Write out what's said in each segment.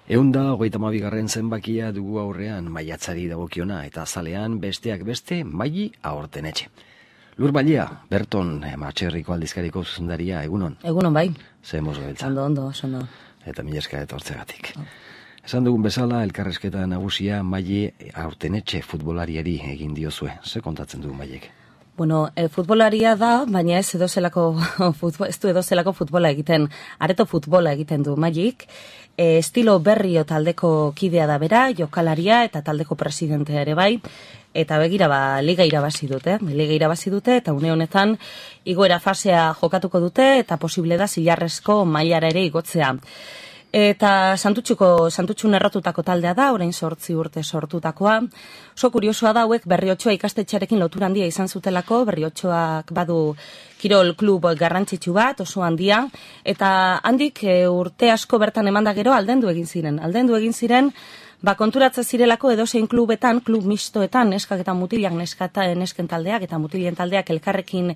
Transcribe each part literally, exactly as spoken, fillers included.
Eunda hogeita hamabigarren zenbakia dugu aurrean maiatzari dagokiona eta azalean besteak beste Maili Aortenetxe. Lur Bailea, Berton, Matxerriko aldizkariko zuzendaria, egunon? Egunon bai. Ze mozo beltza. Ondo, ondo, ondo. Eta mila esker etortzegatik. Oh. Esan dugun bezala, elkarrezketa nagusia Maili Aortenetxe futbolariari egin diozue. Ze kontatzen du Mailek? Bueno, e, futbolaria da, baina ez edozelako futbol, ez du edozelako futbola egiten, areto futbola egiten du Mailik. E, estilo berrio taldeko kidea da bera, jokalaria eta taldeko presidentea ere bai. Eta begira, ba, liga irabazi dute, liga irabazi dute, eta une honetan igoera fasea jokatuko dute, eta posible da zilarrezko mailara ere igotzea. Eta Santutxuko, Santutxun errotutako taldea da, orain sortzi urte sortutakoa. Oso kuriosoa da hauek Berriotxoa ikastetxearekin lotura handia izan zutelako, Berriotxoak badu kirol klub garrantzitsu bat, oso handia, eta handik e, urte asko bertan emanda gero aldendu egin ziren. Aldendu egin ziren, ba, konturatze zirelako edozein klubetan, klub mistoetan, neskak eta mutilak, neskata, nesken taldeak eta mutilien taldeak elkarrekin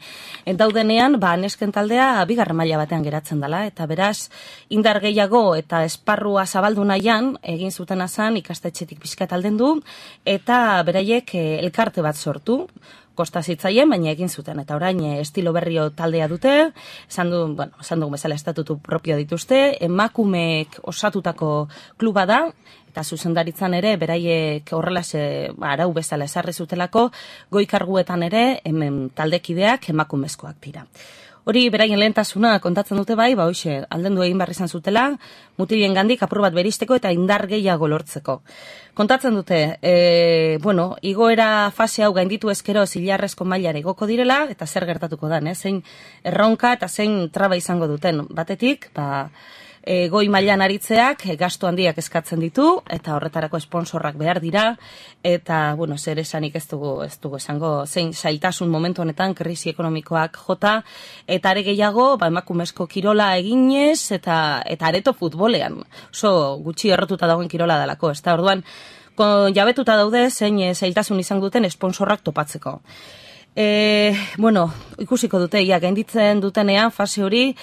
daudenean, ba, nesken taldea bigarren maila batean geratzen dela, eta beraz, indar gehiago eta esparrua zabaldu nahian, egin zuten azan ikastetxetik pixkat aldendu, eta beraiek elkarte bat sortu, kosta zitzaien, baina egin zuten, eta orain estilo berrio taldea dute, esan du, bueno, esan dugu bezala estatutu propio dituzte, emakumeek osatutako kluba da, eta zuzendaritzan ere, beraiek horrela ze, ba, arau bezala esarri zutelako, goi-karguetan ere, hemen taldekideak emakumezkoak dira. Hori beraien lehentasuna kontatzen dute bai, ba hoxe, aldendu egin behar izan zutela, mutilien gandik apur bat beristeko eta indar gehiago lortzeko. Kontatzen dute, e, bueno, igoera fase hau gainditu ezkero zilarrezko mailara igoko direla, eta zer gertatuko da, eh? Zein erronka eta zein traba izango duten. Batetik, ba, E, goi mailan aritzeak e, gastu handiak eskatzen ditu eta horretarako esponsorrak behar dira eta bueno, zer esanik ez dugu ez dugu esango zein zailtasun momentu honetan krisi ekonomikoak jota eta are gehiago ba emakumezko kirola eginez eta eta areto futbolean. Oso gutxi errotuta dagoen kirola delako, ezta? Orduan kon, jabetuta daude zein e, zailtasun izan duten esponsorrak topatzeko. E, bueno, ikusiko dute ia gainditzen dutenean fase hori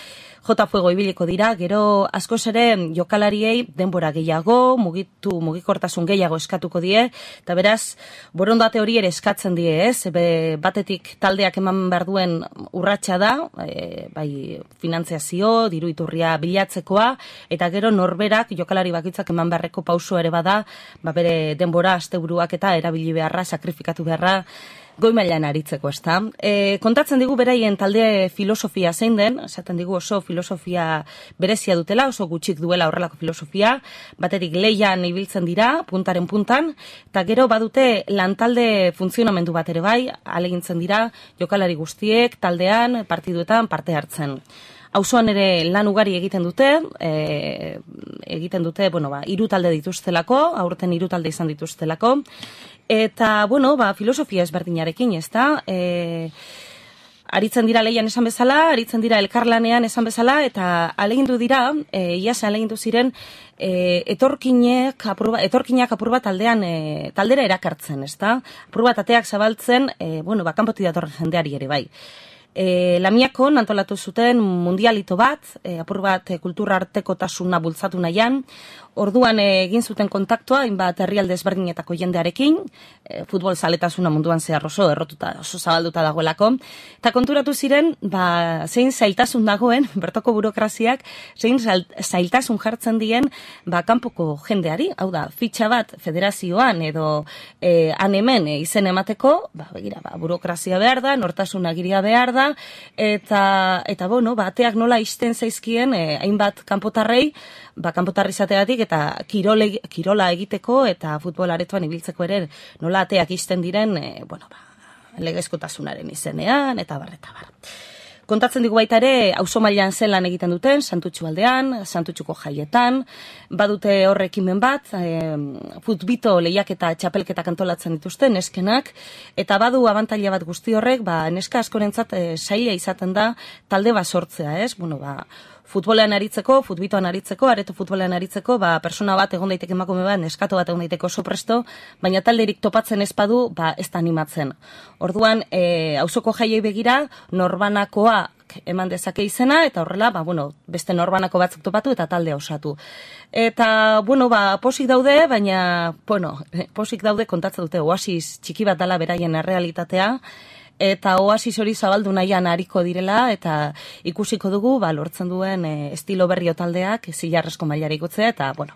Jota Fuego ibiliko dira, gero askoz ere jokalariei denbora gehiago, mugitu mugikortasun gehiago eskatuko die, eta beraz, borondate hori ere eskatzen die, ez? Be, batetik taldeak eman behar duen urratsa da, e, bai finantziazio, diru iturria bilatzekoa, eta gero norberak jokalari bakitzak eman beharreko pauso ere bada, ba bere denbora, asteburuak eta erabili beharra, sakrifikatu beharra, goi mailan aritzeko, ezta. E, kontatzen digu beraien talde filosofia zein den, esaten digu oso filosofia berezia dutela, oso gutxik duela horrelako filosofia, batetik leian ibiltzen dira, puntaren puntan, eta gero badute lantalde funtzionamendu bat ere bai, alegintzen dira, jokalari guztiek, taldean, partiduetan parte hartzen. Auzoan ere lan ugari egiten dute, e, egiten dute, bueno, ba, hiru talde dituztelako, aurten hiru talde izan dituztelako, eta, bueno, ba, filosofia ezberdinarekin, ez da, e, aritzen dira leian esan bezala, aritzen dira elkarlanean esan bezala, eta alegindu dira, e, iaz alegindu ziren, e, etorkinek, apurba, etorkinak apur bat taldean, e, taldera erakartzen, ez da, apur bat ateak zabaltzen, e, bueno, ba, kanpotik datorren jendeari ere bai. E, Lamiakon antolatu zuten mundialito bat, e, apur bat e, kultura artekotasuna bultzatu nahian, orduan e, egin zuten kontaktua, hainbat herrialde ezberdinetako jendearekin, e, futbol zaletasuna munduan zehar oso errotuta, oso zabalduta dagoelako, eta konturatu ziren, ba, zein zailtasun dagoen, bertoko burokraziak, zein zailtasun jartzen dien, ba, kanpoko jendeari, hau da, fitxa bat federazioan edo e, han hemen e, izen emateko, ba, begira, ba, burokrazia behar da, nortasun agiria behar da, eta, eta bueno, bateak nola isten zaizkien, eh, hainbat kanpotarrei, ba, kanpotarri izateagatik eta kirole, kirola egiteko eta futbol aretoan ibiltzeko ere nola ateak isten diren, eh, bueno, ba, legezkotasunaren izenean, eta bar, eta bar. Kontatzen digu baita ere, auzo mailan zelan egiten duten, Santutxu aldean, Santutxuko jaietan, badute horre ekimen bat, e, futbito lehiak eta txapelketak antolatzen dituzten, neskenak, eta badu abantaila bat guzti horrek, ba, neska askorentzat e, saila izaten da talde bat sortzea, ez? Bueno, ba, futbolean aritzeko, futbitoan aritzeko, areto futbolean aritzeko, ba, persona bat egon daiteke emakume bat, neskato bat egon daiteke oso presto, baina talderik topatzen ez badu, ba, ez da animatzen. Orduan, e, auzoko jaiei begira, norbanakoa bakoitzak eman dezake izena, eta horrela, ba, bueno, beste norbanako batzuk topatu eta taldea osatu. Eta, bueno, ba, posik daude, baina, bueno, posik daude kontatzen dute, oasis txiki bat dala beraien errealitatea, eta oasis hori zabaldu nahian hariko direla, eta ikusiko dugu, ba, lortzen duen e, estilo berrio taldeak, zilarrezko mailara ikutzea, eta, bueno,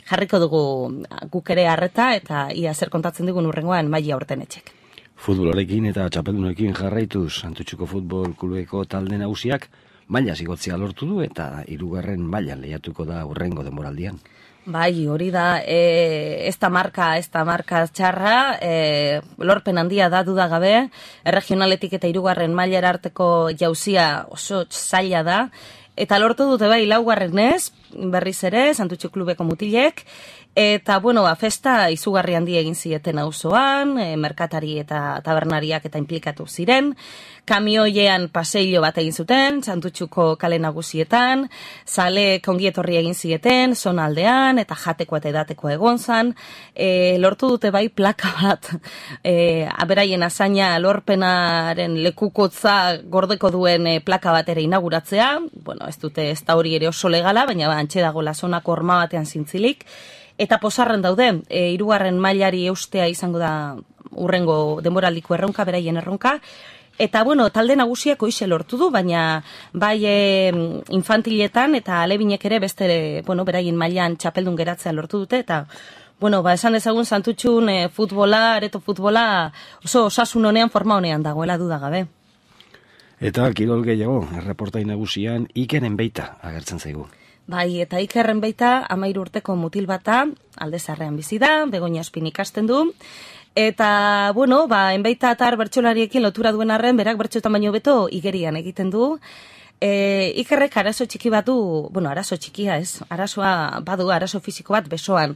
jarriko dugu guk ere harreta, eta ia zer kontatzen dugun urrengoan Maila Aurtenetxek. Futbolarekin eta txapeldunekin jarraituz, Santutxuko futbol klubeko talde nagusiak maila zigotzea lortu du eta hirugarren mailan lehiatuko da urrengo denboraldian. Bai, hori da, e, ez da marka, ez da marka txarra, e, lorpen handia da duda gabe, erregionaletik eta hirugarren mailara arteko jauzia oso zaila da, eta lortu dute bai laugarrenez, berriz ere, Santutxu klubeko mutilek, eta, bueno, ba, festa izugarri handi egin zieten auzoan, e, merkatari eta tabernariak eta implikatu ziren, kamioiean paseillo bat egin zuten, Santutxuko kale nagusietan, zale kongietorri egin zieten, zonaldean, eta jateko eta edateko egon zan, e, lortu dute bai plaka bat, e, aberaien azaina lorpenaren lekukotza gordeko duen e, plaka bat ere inauguratzea, bueno, ez dute ez da hori ere oso legala, baina ba, antxe dago lazonako horma batean zintzilik, eta posarren daude, e, hirugarren mailari eustea izango da urrengo denboraldiko erronka, beraien erronka, eta, bueno, talde nagusiak hoize lortu du, baina bai e, infantiletan eta alebinek ere beste, bueno, beraien mailan txapeldun geratzea lortu dute, eta, bueno, ba, esan dezagun Santutxun e, futbola, areto futbola, oso osasun honean, forma honean dagoela dudagabe. Eta kirol gehiago, erreportai nagusian Ikeren Beita agertzen zaigu. Bai, eta Ikerren Beita amairu urteko mutil bata, alde zarrean bizi da, Begoña Espin ikasten du, eta, bueno, ba, enbeita atar bertsolariekin lotura duen arren, berak bertxotan baino beto igerian egiten du. E, Ikerrek arazo txiki bat du, bueno, arazo txikia ez, arazoa badu, arazo fisiko bat besoan.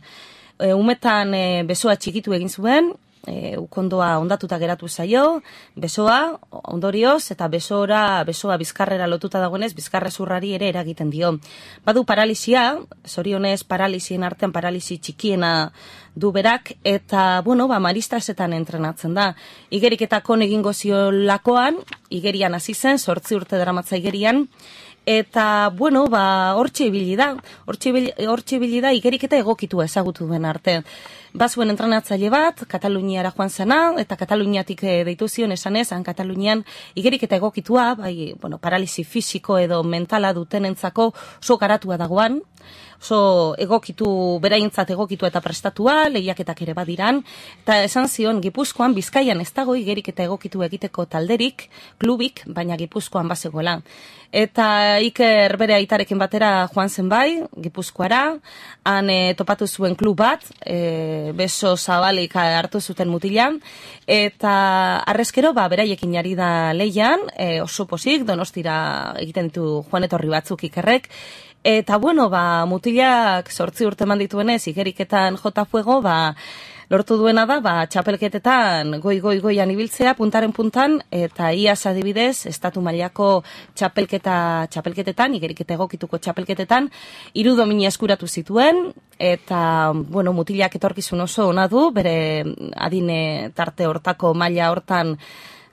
E, umetan e, besoa txikitu egin zuen, e, ukondoa ondatuta geratu zaio, besoa, ondorioz, eta besora, besoa bizkarrera lotuta dagoenez, bizkarrezurrari ere eragiten dio. Badu paralisia, zorionez paralisien artean paralisi txikiena du berak, eta, bueno, ba, maristasetan entrenatzen da. Igeriketakon egingo ziolakoan, igerian hasi zen, zortzi urte daramatza igerian, eta, bueno, ba, hortxe ibili da, hortxe ibili da igeriketa egokitua ezagutu duen arte. Bazuen entrenatzaile bat, Kataluniara joan zena, eta Kataluniatik deitu zion esanez, han Katalunian igeriketa egokitua, bai, bueno, paralisi fisiko edo mentala dutenentzako oso garatua dagoan, oso egokitu, beraintzat egokitu eta prestatua, lehiaketak ere badiran, eta esan zion Gipuzkoan, Bizkaian ez dago igeriketa egokitu egiteko talderik, klubik, baina Gipuzkoan bazegoela. Eta Iker bere aitarekin batera joan zen bai, Gipuzkoara, han e, topatu zuen klub bat, e, beso zabalik hartu zuten mutilan, eta arrezkero, ba, beraiekin ari da leian, e, oso posik, Donostira egiten ditu joan etorri batzuk Ikerrek, eta, bueno, ba, mutilak sortzi urte eman dituenez, igeriketan jota fuego, ba, lortu duena da, ba, txapelketetan goi-goi-goian ibiltzea, puntaren puntan, eta iaz adibidez, estatu mailako txapelketa, txapelketetan, igeriketa egokituko txapelketetan, hiru domina eskuratu zituen, eta, bueno, mutilak etorkizun oso ona du, bere adine tarte hortako maila hortan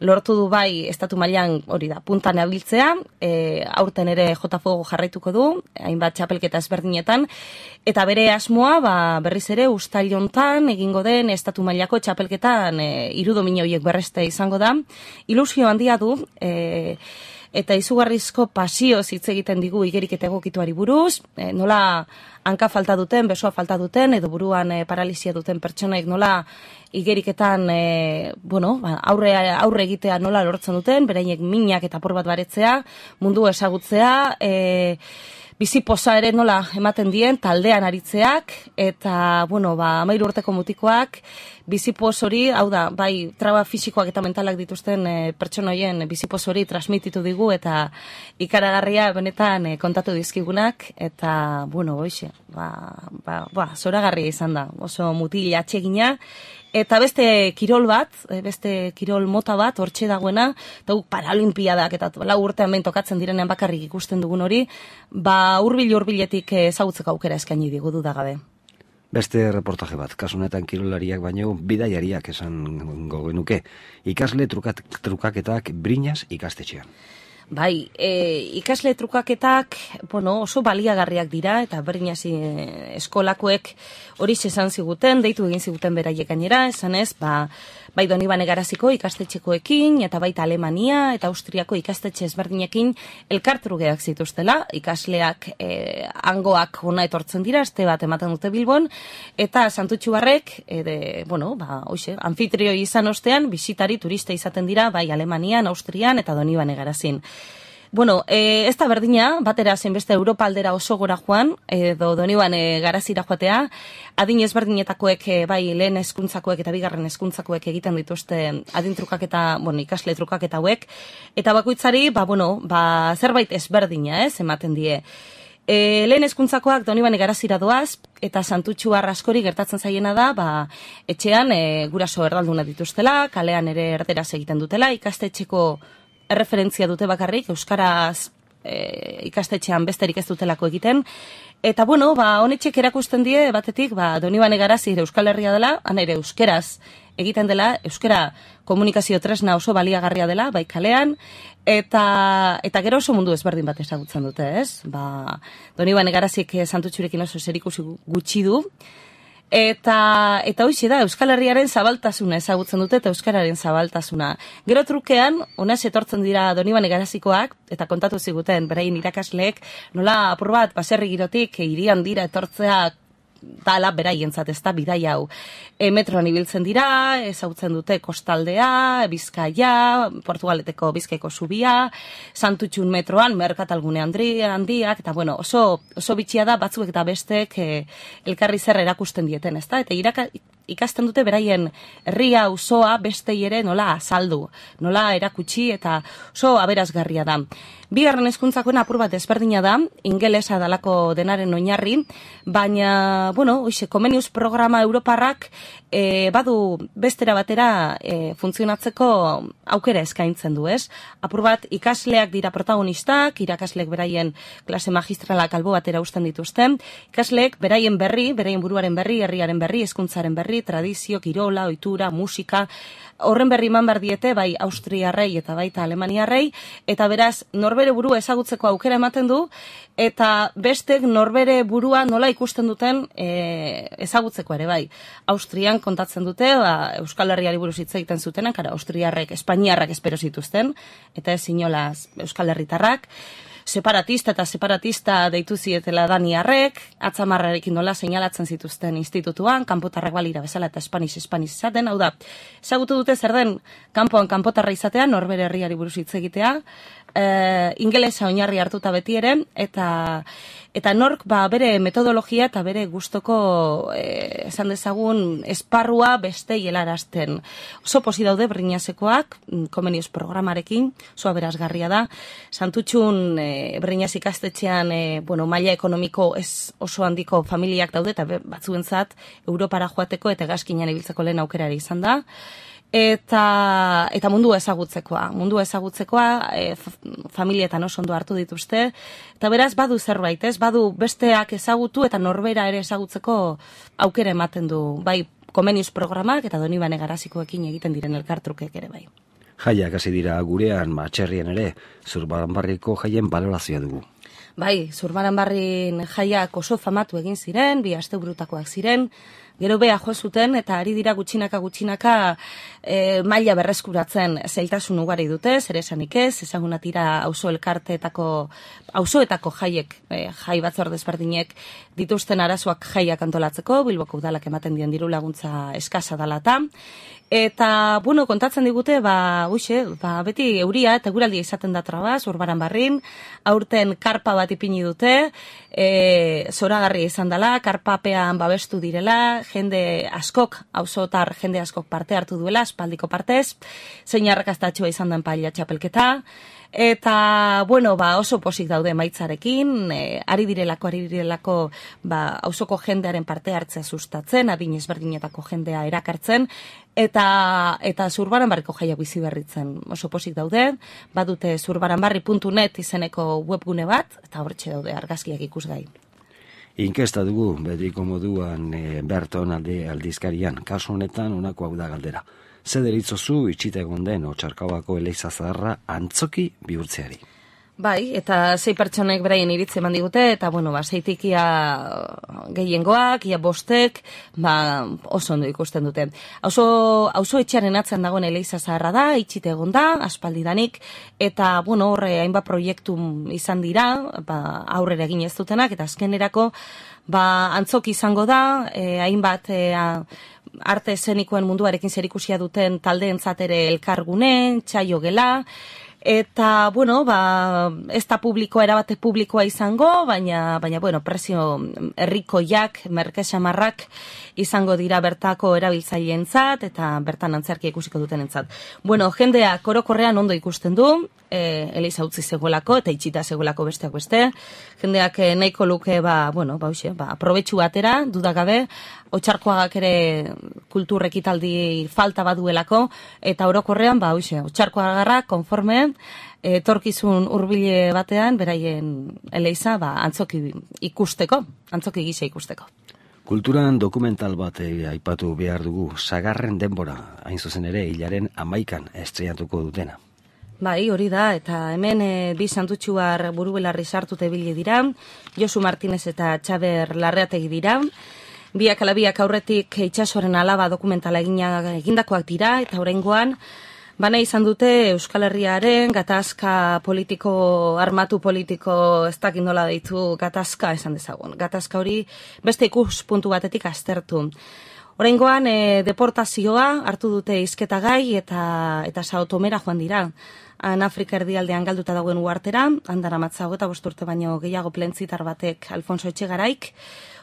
lortu du bai estatu mailan hori da, puntan abiltzea, e, aurten ere jota fuego jarraituko du, hainbat txapelketa ezberdinetan, eta bere asmoa ba, berriz ere ustailontan egingo den estatu mailako txapelketan e, hiru domina horiek berreste izango da, ilusio handia du, e, eta izugarrizko pasioz hitz egiten digu igeriketa egokituari buruz, e, nola hanka falta duten, besoa falta duten, edo buruan e, paralisia duten pertsonaik nola igeriketan e, bueno, aurre, aurre egitea nola lortzen duten, beraiek minak eta por bat baretzea, mundu ezagutzea, e, bizipoza ere nola ematen dien, taldean aritzeak, eta, bueno, ba, amairu urteko mutikoak, bizipoz hori, hau da, bai, traba fisikoak eta mentalak dituzten e, pertsonoien bizipoz hori transmititu digu, eta ikaragarria benetan e, kontatu dizkigunak, eta, bueno, hoxe, ba, ba, ba, zoragarria izan da, oso mutil atsegina, eta beste kirol bat, beste kirol mota bat, hortxe dagoena, eta guk paralimpiadak, eta lau urtean behin tokatzen direnean bakarrik ikusten dugun hori, ba hurbil-hurbiletik ezagutzeko aukera eskaini digu dudagabe. Beste reportaje bat, kasunetan kirolariak baino bidaiariak esan gogenuke, ikasle trukat, trukaketak Briñas ikastetxean. Bai, e, ikasle trukaketak, bueno, oso baliagarriak dira, eta berdin hasi eskolakoek hori esan ziguten, deitu egin ziguten beraiek gainera, esan ez, ba, bai Donibane Garaziko ikastetxekoekin, eta baita Alemania eta Austriako ikastetxe ezberdinekin elkartrugeak zituztela, ikasleak e, hangoak hona etortzen dira, este bat ematen dute Bilbon, eta Santutxuarrek, e, de, bueno, ba, hoxe, anfitrioi izan ostean, bisitari turista izaten dira, bai Alemanian, Austrian eta Donibane Garazin. Bueno, e, ez da berdina, batera zenbeste Europa aldera oso gora joan, edo Donibane Garazira joatea, adin ezberdinetakoek, e, bai lehen hezkuntzakoek eta bigarren hezkuntzakoek egiten dituzte adin trukaketa, bueno, ikasle trukaketa hauek, eta bakoitzari, ba, bueno, ba, zerbait ezberdina, ez, ematen die. E, lehen hezkuntzakoak Donibane Garazira doaz, eta Santutxuar askori gertatzen zaiena da, ba, etxean e, guraso erdalduna dituztela, kalean ere erderaz egiten dutela, ikastetxeko erreferentzia dute bakarrik, euskaraz e, ikastetxean besterik ez dutelako egiten, eta bueno, ba, honetxek erakusten die, batetik, ba, Donibane Garazi Euskal Herria dela, han ere euskeraz egiten dela, euskara komunikazio tresna oso baliagarria dela, bai kalean, eta, eta gero oso mundu ezberdin bat ezagutzen dute, ez? Ba, Donibane Garazik Santutxurekin oso zerikusi gutxi du, Eta, eta hoxe da, Euskal Herriaren zabaltasuna ezagutzen dute, eta Euskararen zabaltasuna. Gero trukean, honez etortzen dira Donibane Garazikoak, eta kontatu ziguten, beraien irakasleek, nola apur bat, baserri girotik, hirian dira etortzea, dala beraientzat ez da bidai hau. E, metroan ibiltzen dira, ezagutzen dute kostaldea, Bizkaia, Portugaleteko Bizkaiko zubia, Santutxun metroan, merkatalgune handiak, eta bueno, oso, oso bitxia da batzuk eta bestek e, elkarri zer erakusten dieten, ez da? Eta iraka, ikasten dute beraien herria auzoa bestei ere nola azaldu, nola erakutsi eta oso aberazgarria da. Bigarren hezkuntzakoen apur bat ezberdina da, ingelesa dalako denaren oinarri, baina, bueno, oixe, Comenius programa europarrak e, badu bestera batera e, funtzionatzeko aukera eskaintzen du, ez? Apur bat ikasleak dira protagonistak, irakasleek beraien klase magistralak albo batera usten dituzten, ikasleek beraien berri, beraien buruaren berri, herriaren berri, hezkuntzaren berri, tradizio, kirola, ohitura, musika, horren berri eman behar diete, bai Austriarrei eta baita Alemaniarrei, eta beraz, norbere burua ezagutzeko aukera ematen du, eta bestek norbere burua nola ikusten duten e, ezagutzeko ere bai. Austrian kontatzen dute, ba, Euskal Herriari buruz hitz egiten zutenak, ara Austriarrek, Espainiarrak espero zituzten, eta ez inolaz Euskal Herritarrak, separatista eta separatista deitu zietela daniarrek, atzamarrarekin nola seinalatzen zituzten institutuan, kanpotarrak balira bezala eta espaniz espaniz izaten, hau da, ezagutu dute zer den kanpoan kanpotarra izatea, norbere herriari buruz hitz egitea, e, ingelesa oinarri hartuta beti ere, eta eta nork ba, bere metodologia eta bere gustoko e, esan dezagun esparrua beste helarazten. Oso posi daude Brinasekoak, Comenius programarekin, oso aberazgarria da, Santutxun e, Brinas ikastetxean e, bueno, maila ekonomiko ez oso handiko familiak daude, eta batzuentzat Europara joateko eta gazkinan ibiltzeko lehen aukerari izan da. Eta, eta mundu ezagutzekoa, mundu ezagutzekoa, e, familietan oso ondo hartu dituzte, eta beraz badu zerbait, ez? Badu besteak ezagutu eta norbera ere ezagutzeko aukera ematen du, bai Comenius programak eta Donibane Garazikoekin egiten diren elkartrukek ere bai. Jaiak hasi dira gurean, matxerrien ere, Zurbaranbarriko jaien balorazioa dugu. Bai, Zurbaranbarrin jaiak oso famatu egin ziren, bi asteburutakoak ziren, gero beha jo zuten eta ari dira gutxinaka gutxinaka e, maila berreskuratzen zailtasun ugari dute, zer esanik ez, ezagunatira auzo elkarteetako, auzoetako jaiek, e, jai batzorde ezberdinek dituzten arazoak jaiak antolatzeko, Bilboko udalak ematen dien diru laguntza eskasa dalata. Eta, bueno, kontatzen digute, ba, uxe, ba, beti euria eta eguraldia izaten da traba, Zurbaranbarrin, aurten karpa bat ipini dute, e, zoragarria izan dela, karpapean babestu direla, jende askok, auzotar jende askok parte hartu duela, espaldiko partez, zein arrakastatxoa izan den paila txapelketa, eta, bueno, ba, oso posik daude maitzarekin, e, ari direlako, ari direlako, ba, auzoko jendearen parte hartzea sustatzen, adin ezberdinetako jendea erakartzen, eta eta Zurbaranbarriko jaiak bizi berritzen oso posik daude, badute zurbaranbarri puntu net izeneko webgune bat, eta hortxe daude argazkiak ikusgai. Inkesta dugu, bediko moduan e, Berton alde aldizkarian, kasu honetan honako hau da galdera. Ze deritzozu itxita egon den Otsarkaoako Eliza Zaharra antzoki bihurtzeari? Bai, eta zei pertsonek beraien iritzi eman digute, eta, bueno, ba, zeitik ia gehiengoak, ia bostek, ba, oso ondo ikusten dute. Auzo, auzo etxearen atzean dagoen Eliza Zaharra da, itxite egon da, aspaldidanik, eta, bueno, horre, hainbat proiektu izan dira, ba, aurrera egin ez dutenak, eta azkenerako, ba, antzoki izango da, eh, hainbat, eh, arte eszenikoen munduarekin zerikusia duten taldeentzat ere elkargune, txaio gela, eta, bueno, ba, ez da publikoa, erabate publikoa izango, baina, baina bueno, prezio herrikoiak, merkesamarrak izango dira bertako erabiltzaileentzat eta bertan antzerkia ikusiko dutenentzat. Bueno, jendeak orokorrean ondo ikusten du, e, Eliza utzi zegoelako eta itxita zegoelako besteak beste. Jendeak e, nahiko luke, ba, bueno, ba, hoxe, ba, aprobetxu batera, dudagabe, Otxarkoagak ere kultur ekitaldi falta baduelako, eta orokorrean, ba, hoxe, Otxarkoagarrak konforme, etorkizun hurbile batean, beraien Eliza, ba, antzoki ikusteko, antzoki gisa ikusteko. Kulturan dokumental bat aipatu behar dugu, Sagarren denbora, hain zuzen ere, hilaren amaikan estreiatuko dutena. Bai, hori da, eta hemen e, bi santutxuar burubelarri sartute bile dira, Josu Martinez eta Txaber Larreategi dira, biak alabiak aurretik itsasoaren alaba dokumentala egindakoak dira, eta oraingoan bana izan dute Euskal Herriaren gatazka politiko, armatu politiko, ez dakit nola deitu, gatazka esan dezagun. Gatazka hori beste ikuspuntu batetik aztertu. Oraingoan e, deportazioa hartu dute hizketagai eta eta Sao Tomera joan dira. Han Afrika erdialdean galduta dagoen uhartera, handara matza hogeta bost urte baino gehiago plentzitar batek Alfonso Etxegaraik,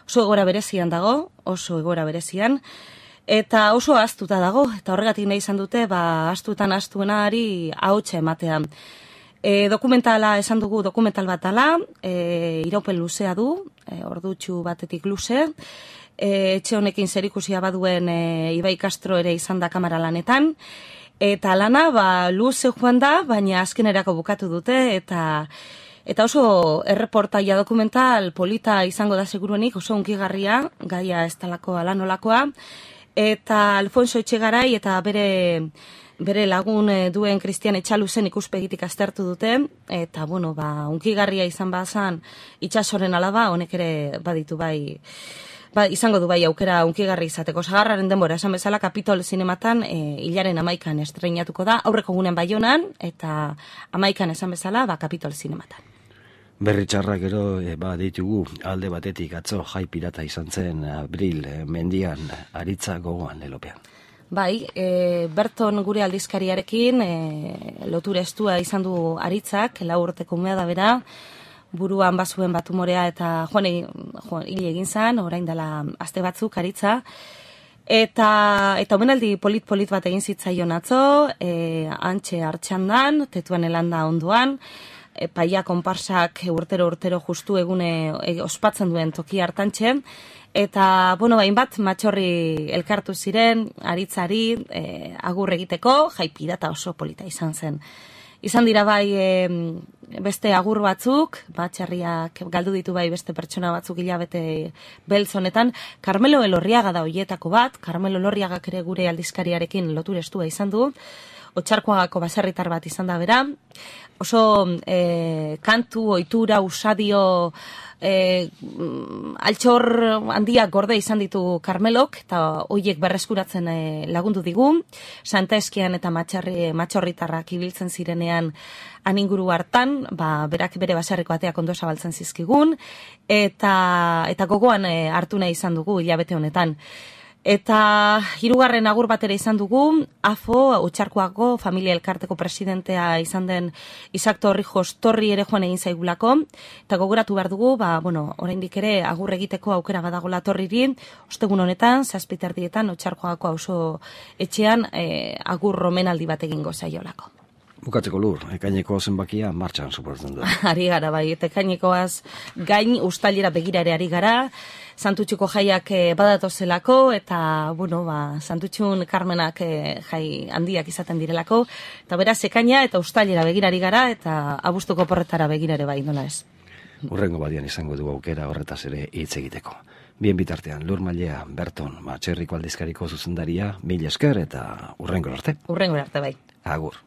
oso egoera berezian dago, oso egoera berezian, eta oso ahaztuta dago, eta horregatik nahi izan dute, ba, ahaztuetan ahaztuenari ahotsa ematea. E, dokumentala esan dugu, dokumental bat ala, e, iraupen luzea du, e, ordutxu batetik luze, e, etxe honekin zerikusia baduen e, Ibai Castro ere izan da kamara lanetan, eta lana, ba, luze joan da, baina azkenerako bukatu dute, eta Eta oso erreportaia dokumental polita izango da seguruenik, oso unkigarria, gaia ez talako alanolakoa, eta Alfonso Etxegarai eta bere, bere lagun duen Kristian Etxaluzen ikuspegitik aztertu dute, eta, bueno, ba, unkigarria izan bazan itxasoren alaba, honek ere baditu bai, ba, izango du bai aukera unkigarri izateko. Sagarraren denbora, esan bezala, Kapitol zinematan e, hilaren amaikan estreinatuko da, aurreko gunen Baionan, eta amaikan esan bezala, ba, Kapitol zinematan. Berri txarrak gero, e, ba, ditugu, alde batetik atzo jai pirata izan zen abril e, mendian aritza gogoan lelopean. Bai, e, Berton gure aldizkariarekin e, lotura estua izan du aritzak, lau urteko umea da bera, buruan bazuen bat umorea eta joan hil egin zen, orain dela aste batzuk aritza, eta eta omenaldi polit-polit bat egin zitzaion atzo, e, antxe hartxandan, tetuan elanda onduan, paia konparsak urtero-urtero justu egune e, ospatzen duen toki hartantxe, eta, bueno, bain bat, matxorri elkartu ziren, aritzari, e, agur egiteko, jai pirata oso polita izan zen. Izan dira bai e, beste agur batzuk, batxarriak galdu ditu bai beste pertsona batzuk hilabete beltz honetan, Carmelo Elorriaga da hoietako bat, Carmelo Elorriagak ere gure aldizkariarekin lotura estua izan du, Otxarkoagako baserritar bat izan da bera, oso e, kantu, ohitura, usadio, e, altxor handiak gorde izan ditu Carmelok, eta hoiek berreskuratzen e, lagundu digu, Santa Eskian eta matxarri, matxorritarrak ibiltzen zirenean aninguru hartan, ba, berak bere baserriko ateak ondo zabaltzen zizkigun, eta, eta gogoan e, hartu nahi izan dugu hilabete honetan. Eta hirugarren agur batera izan dugu, A F O, Otxarkoako familia elkarteko presidentea izan den Isak Torrijos Torri ere joan egin zaigulako, eta gogoratu behar dugu, ba, bueno, oraindik ere agur egiteko aukera badagola Torriri, ostegun honetan, zazpiterdietan, Otxarkoako auzo etxean e, agur romenaldi bat egingo zaiolako. Bukatzeko Lur, ekaineko zenbakia martxan suportzen du. Ari gara, bai, eta ekainekoaz gain ustailera begira ere ari gara, Santutxuko jaiak e, badatozelako, eta, bueno, ba, Santutxun Karmenak e, jai handiak izaten direlako, eta beraz ekaina eta ustailera begirari gara, eta abuztuko porretara begirare bai, nola ez. Urrengo badian izango du aukera horretaz ere hitz egiteko. Bien bitartean, Lur Mailea, Berton, Matxerriko aldizkariko zuzendaria, mil esker eta urrengo arte. Urrengo arte bai. Agur.